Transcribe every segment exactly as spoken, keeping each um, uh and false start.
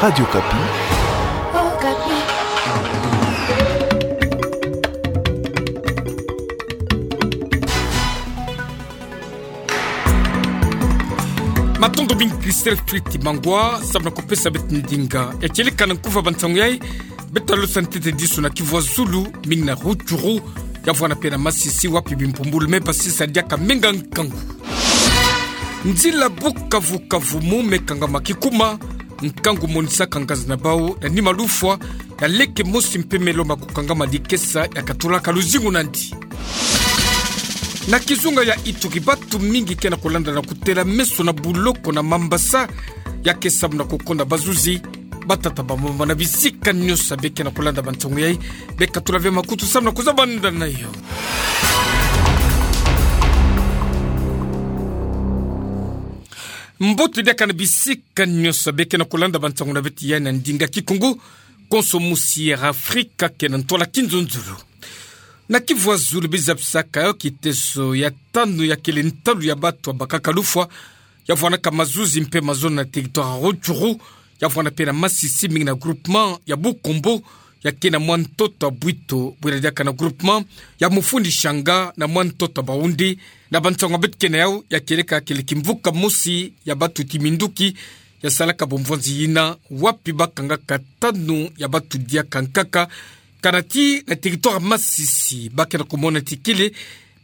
Radio Okapi. Matondo mingi Christelle Fritz Mangwa, samu na kupesa beto ndinga. Ya kieleka na nkufi ya bansangu yai, beto talosa ntete disu na kivu azulu, mingi na Rutshuru, ya vwanda pe na Masisi, wapi bimpumbulu me basisa diaka menga nkangu. Nzila Bukavu-Kavumu me kangama kikuma, nkangu monisaka nganzi na bau, na nima lufwa ya leke mosi mpe me lomba kukangama dikesa ya katulaka luzingu nandi. Na kizunga ya Ituri, batu mingi ke na kulanda na kutela meso na buloko na Mambasa, ya ke samu na kukonda bazuzi, batata, bamama na bisika nyonso be ke na kulanda bansangu yai, be katula ve makutu samu na kuzabanda na yo. Mbote diaka na bisika nyonso be ke na kulanda bansangu na beto yai na ndinga Kikongo, konso musi ya Afrika ke na ntwala kinzonzolo. Na kivu azulu, biza bisaka yo kiteso ya tanu ya kele ntalu ya batu ya bakaka lufwa, ya vwanaka mazuzi mpe mazono na territoire ya Rutshuru, ya vwanda pe na Masisi, mingi na groupement ya Bukombo, ya ke na mwa ntoto ya Bwito, bwela diaka na groupement ya Mufuni Shanga, na mwa ntoto ya Bawundi. Na bansangu beto ke na yau, ya kieleka kele kimvuka mosi ya batu ti minduki ya salaka bomvwanzi yina, wapi bakangaka tanu ya batu diaka nkaka, kana ti na territoire ya Masisi, ba ke na kumona ti kele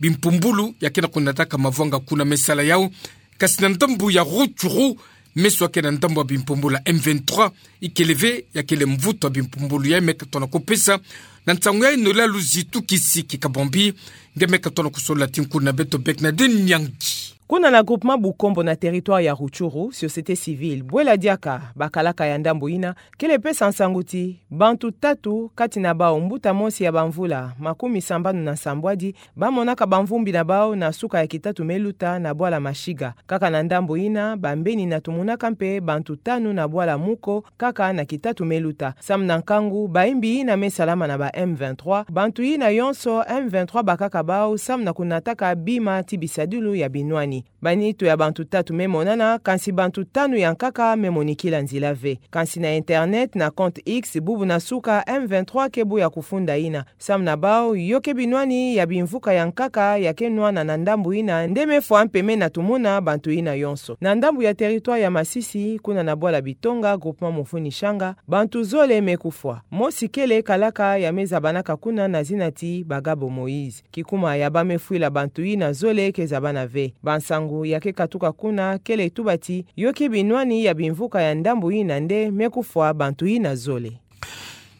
bimpumbulu ya ke na kunataka mavwanga kuna me sala yau. Kasi na ndambu ya Rutshuru, meso ya ke na ndambu ya bimpumbulu ya M vingt-trois, ikele ve ya kele mvutu ya bimpumbulu yai me katona kupesa. Na nsangu yai Noëlla Luzitu Kisiki Kabambi, nge me katona kusolola ti nkuna na beto Bernadette Nyangi. Kuna na groupement Bukombo na territoire ya Rutshuru, société civile, bwela diaka bakalaka ya ndambu yina, kele pesa nsangu ti bantu tatu, kati na bau mbuta mosi ya bamvula makumi sambanu na nsambwadi, bamonaka bamvumbi na bau na suka ya kitatu me luta na bwala Mashiga. Kaka na ndambu yina, bambeni na tumunaka mpe bantu tanu na bwala Muko, kaka na kitatu me luta. Samu na nkangu, bayimbi yina me salama na ba M vingt-trois, bantu yina yonso M vingt-trois bakaka bau samu na kunataka bima ti bisadilu ya binwani. Banitu ya bantu tatu me monana, kansi bantu tanu ya nkaka me monikila nzila ve. Kansi na internet, na compte X, bubu na suka, M vingt-trois ke bu ya kufunda yina. Samu na bau, yo ke binwani ya bimvuka ya nkaka ya ke nwana na ndambu yina, nde me fwa mpeme na tumuna bantu yina yonso. Na ndambu ya territoire ya Masisi, kuna na bwala Bitonga, groupement Mufuni Shanga, bantu zole me kufwa. Mosi kele kalaka ya me zabanaka kuna na zina ti Bagabo Moïse. Kikuma ya ba me fwila bantu yina zole ke zabana ve. Bansangu ya ke katuka kuna kele tuba ti yo ke binwani ya bimvuka ya ndambu yina nde me kufwa bantu yina zole.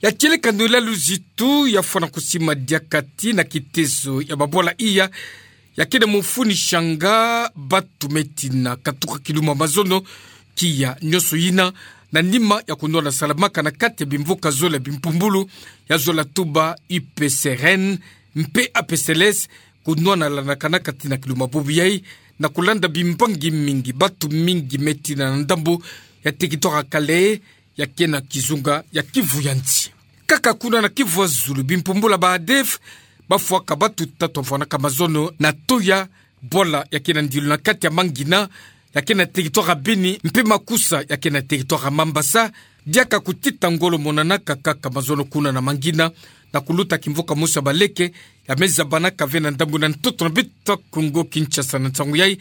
Ya kieleka Noëlla Luzitu, ya fwana kusima diaka ti na kiteso ya babwala iya ya ke na Mufuni Shanga, batu me tina katuka kiluma mazono, kiya nyonso yina, na nima ya kunwana salamaka na kati ya bimvuka zole ya bimpumbulu, ya zola tuba U P C R N mpe A P C L S, kunwana lanaka na kati na kiluma bubu yai, na kulanda bimbangi mingi, batu mingi me tina na ndambu ya territoire ya Kalehe, ya ke na kizunga ya Kivu ya nsi. Kaka kuna na Kivu ya zulu, bimpumbulu ya ba ADF bafwaka batu tatu bavwanaka mazono na Toya, bwala ya ke na ndilu na kati ya Mangina, ya ke na territoire ya Beni, mpe Makusa, ya ke na territoire ya Mambasa, diaka kutita ngolo monanaka kaka mazono kuna na Mangina, na kuluta kimvuka mosi ya baleke, ya me zabanaka ve na ndambu na ntoto na beto Kongo Kinshasa. Na nsangu yai,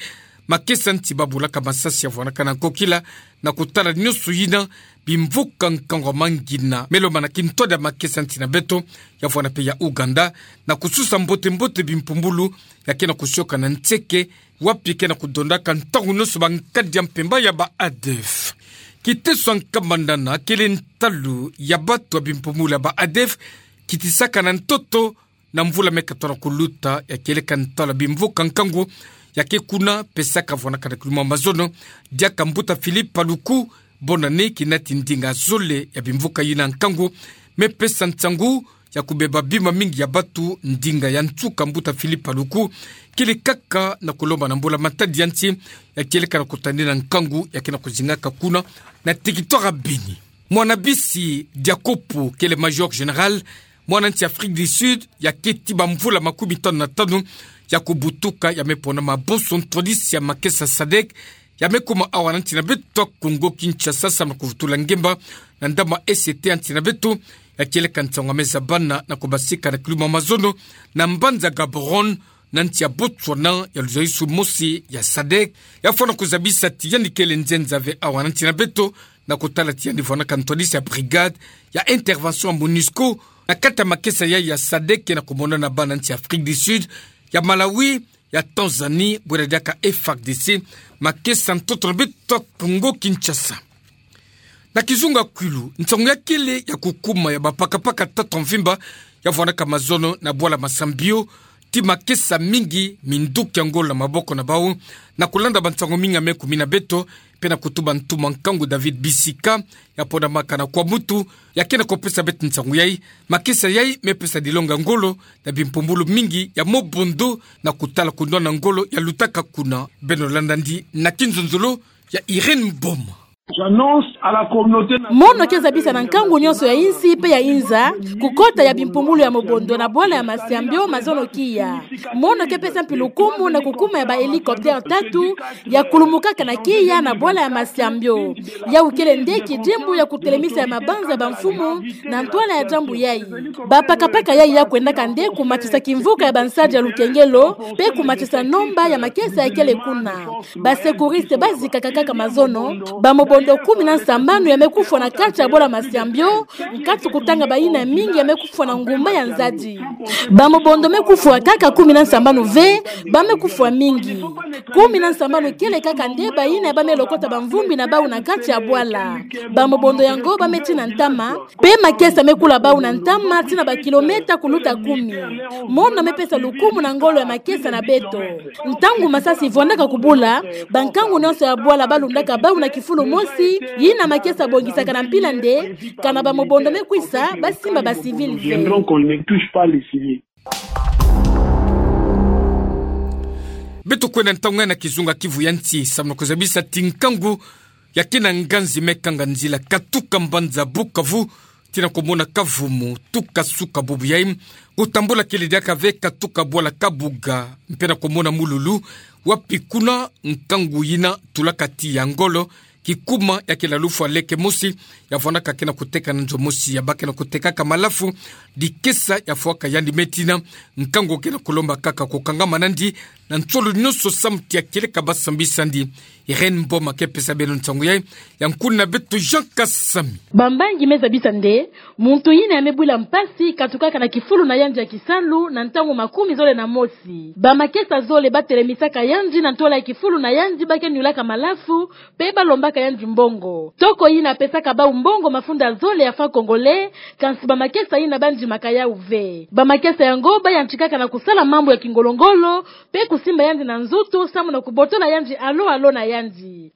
makesa nti babulaka masasi ya vwanaka na nkokila, na kutala nyonso yina, bimvuka nkangu ya Mangina me lomba na kintwadi ya makesa nti na beto, ya vwana mpe ya Ouganda, na kususa mbote-mbote bimpumbulu ya ke na kusioka na nseke, wapi ke na kudondaka ntangu nyonso bankadi ya mpemba ya ba ADF. Kiteso ya Nkamanana kele ntalu ya batu ya bimpumbulu ya ba ADF kitisaka na ntoto na mvula me katona kuluta, ya kieleka ntalu ya bimvuka nkangu ya ke kuna, pesaka vwanaka na kiluma mazono, diaka mbuta Philippe Paluku, bonne année, kinati ndinga zole ya bimvuka yina nkangu, me pesa nsangu ya kubeba bima mingi ya batu. Ndinga ya nsuka mbuta Philippe Paluku kele kaka na kulomba na mbula-matadi ya nsi, ya kieleka na kutanina nkangu ya ke na kuzingaka kuna na territoire ya Beni. Mwana bisi Diakopo, kele major général, mwana nsi Afrique du Sud, ya keti bamvula makumi tanu na tanu ya kubutuka, ya me pona mabonso ntwadisi ya makesa SADC, ya me kuma awa na nti na beto Kongo Kinshasa, samu na kuvutula ngemba na ndama S T ya nti na beto, ya kieleka nsangu ya me zabana na kubasika na kiluma mazono na mbanza Gaborone, na nti ya Botswana, ya luzalisu mosi ya sadek, ya fwana kuzabisa ti yandi kele nzenza ve awa na nti na beto, na kutala ti yandi vwanaka ntwadisi ya brigade ya intervention ya monusco, na kati ya makesa yai ya sadek, ke na kumonana bana nti ya Afrique du Sud, ya Malawi, ya Tanzanie, bwela diaka F A R D C, makesa ntoto na beto Kongo Kinshasa. Na kizunga kwilu, nsangu ya kele ya kukuma ya bapakapaka tata mvimba, ya vwanaka mazono na bwala Massambio, ti makesa mingi minduki ya ngolo na maboko na bau, na kulanda bansangu mingi ya me kumina beto, pe na kutuba ntuma nkangu David Bisika, ya pona maka na Kwamutu, ya ke na kupesa beto nsangu yai, makesa yai me pesa dilonga ngolo na bimpumbulu mingi ya Mobondo, na kutala kunwana ngolo ya lutaka kuna. Beno landa ndi na kinzonzolo ya Irène Mboma. J'annonce à la communauté nationale. Mono ke zabisa na nkangu nyonso ya insi pe ya inza, kukota ya bimpumbulu ya Mobondo na bwala ya Massambio mazono kiya. Mono ke pesa mpi lukumu na kukuma ya ba hélicoptère tatu, ya kulumukaka na kiya na bwala ya Massambio. Yau kele nde kidimbu ya kutelemisa ya mabanza ya bamfumu na ntwala ya diambu yai. Bapakapaka yai ya kwendaka nde kumatisa kimvuka ya bansadi ya lukengelo, pe kumatisa nomba ya makesa ya kele kuna. Ba secouristes bazikaka kaka mazono, ba Mobondo kumi na nsambanu ya me kufwa na kati ya bwala Massambio, nkatu kutanga bayina mingi ya me kufwa na ngumba ya nzadi. Ba Mobondo me kufwa kaka kumi na nsambanu ve, ba me kufwa mingi. Kumi na nsambanu kele kaka nde bayina ya ba me lokota bamvumbi na bau na kati ya bwala. Ba Mobondo yango ba me tina ntama, pe makesa me kula bau na ntama tina ba kilomètre kuluta kumi. Mono me pesa lukumu na ngolo ya makesa na beto. Ntangu masasi vwandaka kubula, bankangu nyonso ya bwala balundaka bau na kifulu mosi, yina makesa bongisaka na mpila nde, kana ba Mobondo me kwisa, basimba ba civils ve. Viendront qu'on ne touche pas les civils. Beto kwenda ntangu yai na kizunga Kivu ya nti, samu na kuzabisa ti nkangu ya kina nganzi me kanga nzila katuka mbanza Bukavu tina kumona Kavumu, tuka suka bubu yai, kutambula kele diaka ve katuka bwala Kabuga, mpe na kumona Mululu, wapi kuna nkangu yina tulaka ti ya ngolo, kikuma ya kele lufwa leke mosi, ya vwanaka ke na kuteka na nzo mosi ya ba ke na kutekaka malafu, dikesa ya fwaka yandi me tina, nkangu ke na kulomba kaka kukangama nandi, na nsolo nyonso samu ti ya kieleka ba sambisa ndi. Irène Mboma ke pesa beno nsangu yai, ya nkuna beto Jean Kasami. Bambangi me zabisa nde, muntu yina ya me bwila mpasi katukaka na kifulu na yandi ya kisalu na ntangu makumi zole na mosi. Ba makesa zole ba telemisaka yandi na ntwala ya kifulu na yandi ba ke nyulaka malafu, pe ba lombaka yandi mbongo. Toko yina pesaka bau mbongo mafunda zole ya francs congolais, kansi ba makesa yina ba ndimaka yau ve. Ba makesa yango ba yantikaka na kusala mambu ya kingolo-ngolo, pe kusimba yandi na nzutu, samu na kubotola yandi alo-alo na yandi.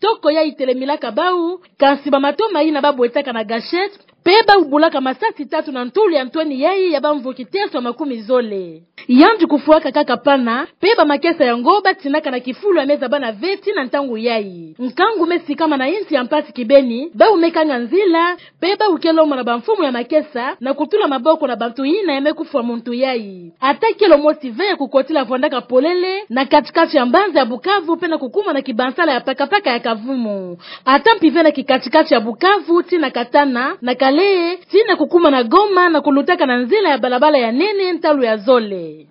Toko yai telemilaka bau, kansi ba matoma yina ba bwetaka na gâchette, pe ba bulaka masasi tatu na ntulu ya ntweni yai ya bamvu kiteso makumi zole. Yandi kufwaka kaka pana, pe ba makesa yango ba tinaka na kifulu ya me zabana ve tii na ntangu yai. Nkangu me sikama na insi ya mpasi kibeni, bau me kanga nzila, pe bau ke lomona bamfumu ya makesa, na kutula maboko na bantu yina ya me kufwa muntu yai. Ata kilo mosi ve ya kukotila vwandaka polele, na kati-kati ya mbanza ya Bukavu, pe na kukuma na kibansala ya pakapaka ya Kavumu. Ata mpi ve na kikati-kati ya Bukavu, tii na Katana, na Kalehe, tii na kukuma na Goma, na kulutaka na nzila ya balabala ya nene ntalu ya zole.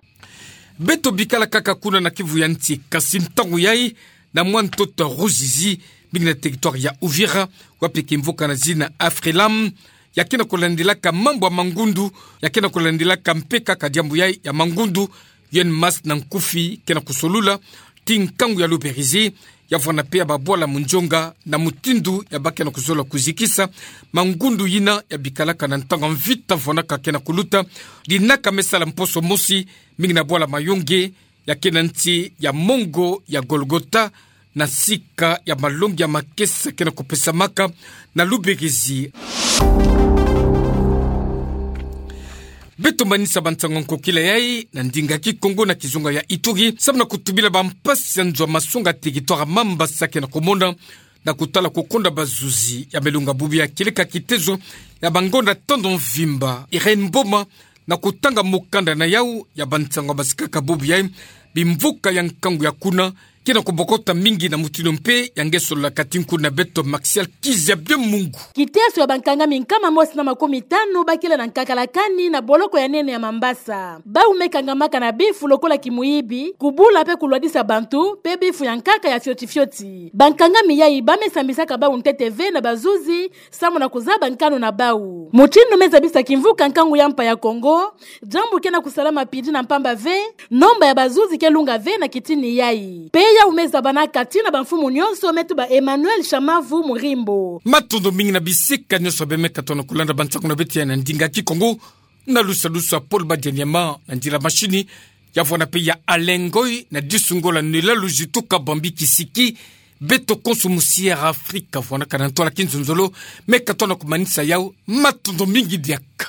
Beto bikala kaka kuna na Kivu ya nti, kasi ntangu yai, na mwa ntoto Ruzizi, mingi na territoire ya Uvira, wapi kimvuka na zina Afrilam, ya ke na kulandilaka mambu ya mangundu, ya ke na kulandilaka mpe kaka diambu yai ya mangundu, yun masse na nkufi ke na kusolula, tii nkangu ya Luberizi, ya vwanda mpe ya babwala munzonga na mutindu ya ba ke na kuzola kuzikisa mangundu yina ya bikalaka na ntangu ya mvita vwandaka ke na kuluta, dinaka me sala mposo mosi, mingi na bwala Mayonge, ya ke na nti ya mongo ya Golgotha, na sika ya malongi ya makesa ke na kupesamaka na Luberizi. Beto manisa bansangu ya nkokila yai na ndinga Kikongo na kizunga ya Ituri, samu na kutubila bampasi ya nzo ya masonga territoire Mambasa ke na kumona, na kutala kukonda bazuzi ya melunga bubu ya kieleka kitezo ya bangonda tando mvimba. Irène Mboma, na kutanga mukanda na yau ya bansangu ya basikaka bubu yai, bimvuka ya nkangu ya kuna, Kina kobokota mingi na mutindu mpe ya nge solola kati nkutu na beto Maxial Kizabia Mungu. Kiteso ya bankangami nkama mosi na makumi tanu bakila na nkaka la kani na boloko ya nene ya Mambasa. Bau me kangamaka na bifu lokola kimuyibi, kubula mpe kulwadisa bantu, mpe bifu ya nkaka ya fioti fioti. Bankangami yai ba me sambisaka bau ntete ve na bazuzi, samu na kuzaba nkanu na bau. Mutindu me zabisa kimvuka nkangu ya mpa ya Kongo, diambu ke na kusalama pidi na mpamba ve, nomba ya bazuzi ke lunga ve na kitini yai. Mpe yau me zabana kati na bamfumu nyonso, me tuba Emmanuel Shamavu Murimbo. Matondo mingi na bisika nyonso bie me katono kulanda bansangu na beto ya na ndinga Kikongo, na lusalusu ya Paul Badianyama, na nzila mashini ya vwana mpe ya Alain Ngoy, na disungola nela luzitu kabambi kisiki. Beto konso musi Air Afrique vwanaka na ntwala kinzonzolo, me katono kumanisa yau, matondo mingi diaka.